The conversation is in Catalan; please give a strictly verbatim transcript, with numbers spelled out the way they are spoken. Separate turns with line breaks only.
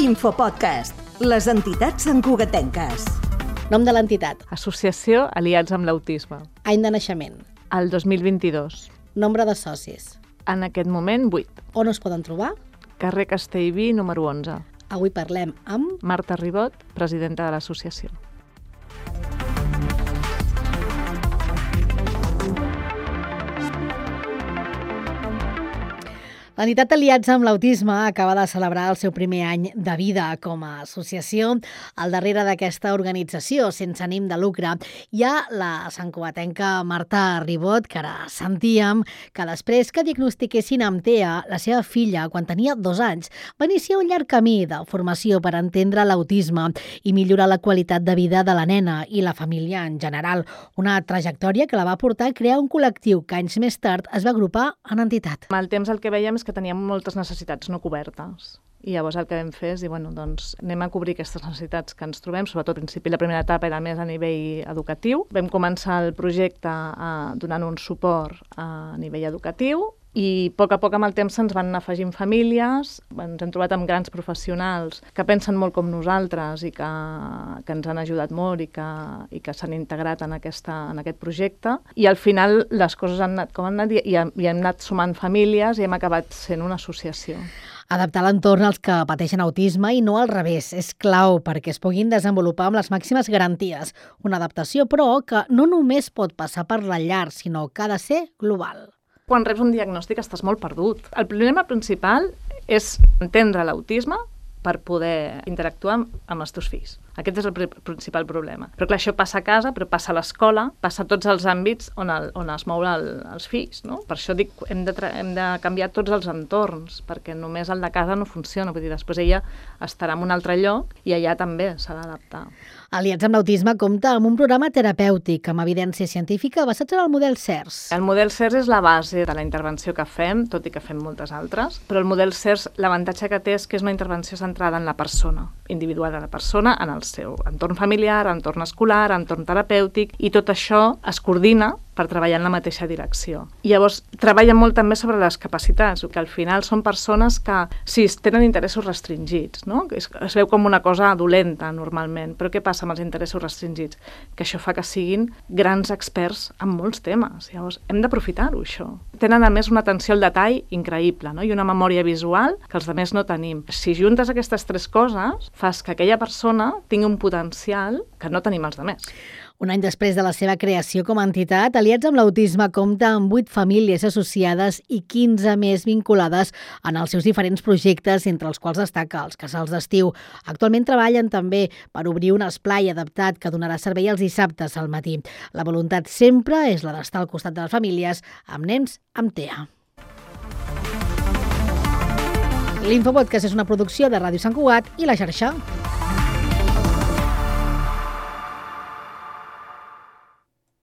Infopodcast, les entitats santcugatenques.
Nom de l'entitat.
Associació Aliats amb l'Autisme.
Any de naixement.
El dos mil vint-i-dos.
Nombre de socis.
En aquest moment, vuit.
On us poden trobar?
Carrer Castellví, número onze.
Avui parlem amb...
Marta Ribot, presidenta de l'associació.
L'entitat Aliats amb l'Autisme acaba de celebrar el seu primer any de vida com a associació. Al darrere d'aquesta organització, sense ànim de lucre, hi ha la santcugatenca Marta Ribot, que ara sentíem que després que diagnostiquessin amb T E A, la seva filla, quan tenia dos anys, va iniciar un llarg camí de formació per entendre l'autisme i millorar la qualitat de vida de la nena i la família en general. Una trajectòria que la va portar a crear un col·lectiu que anys més tard es va agrupar en entitat.
Amb el temps el que veiem és que teníem moltes necessitats no cobertes. I llavors el que vam fer és dir, bueno, doncs anem a cobrir aquestes necessitats que ens trobem, sobretot al principi la primera etapa era més a nivell educatiu. Vam començar el projecte eh, donant un suport a nivell educatiu i a poc a poc amb el temps se'ns van anar afegint famílies, ens hem trobat amb grans professionals que pensen molt com nosaltres i que, que ens han ajudat molt i que, i que s'han integrat en, aquesta, en aquest projecte. I al final les coses han anat com han anat i, i hem anat sumant famílies i hem acabat sent una associació.
Adaptar l'entorn als que pateixen autisme i no al revés és clau perquè es puguin desenvolupar amb les màximes garanties. Una adaptació, però, que no només pot passar per la llar, sinó que ha de ser global.
Quan reps un diagnòstic estàs molt perdut. El problema principal és entendre l'autisme per poder interactuar amb, amb els teus fills. Aquest és el principal problema. Però clar, això passa a casa, però passa a l'escola, passa a tots els àmbits on, el, on es mouen el, els fills, no? Per això dic, hem de, hem de canviar tots els entorns, perquè només el de casa no funciona. Vull dir, després ella estarà en un altre lloc i allà també s'ha d'adaptar.
Aliats amb l'Autisme compta amb un programa terapèutic amb evidència científica basat en el model C E R S.
El model C E R S és la base de la intervenció que fem, tot i que fem moltes altres, però el model C E R S, l'avantatge que té és que és una intervenció centrada en la persona, individual de la persona, en el seu entorn familiar, entorn escolar, entorn terapèutic, i tot això es coordina per treballar en la mateixa direcció. I llavors treballa molt també sobre les capacitats, que al final són persones que sí, tenen interessos restringits, no? Es, es veu com una cosa dolenta normalment, però què passa amb els interessos restringits? Que això fa que siguin grans experts en molts temes. Llavors hem d'aprofitar-ho, això. Tenen a més una atenció al detall increïble, no? I una memòria visual que els altres no tenim. Si juntes aquestes tres coses, fas que aquella persona tingui un potencial que no tenim els altres.
Un any després de la seva creació com a entitat, Aliats amb l'Autisme compta amb vuit famílies associades i quinze més vinculades en els seus diferents projectes, entre els quals destaca els casals d'estiu. Actualment treballen també per obrir un esplai adaptat que donarà servei els dissabtes al matí. La voluntat sempre és la d'estar al costat de les famílies amb nens amb T E A. L'Infopodcast és una producció de Ràdio Sant Cugat i La Xarxa.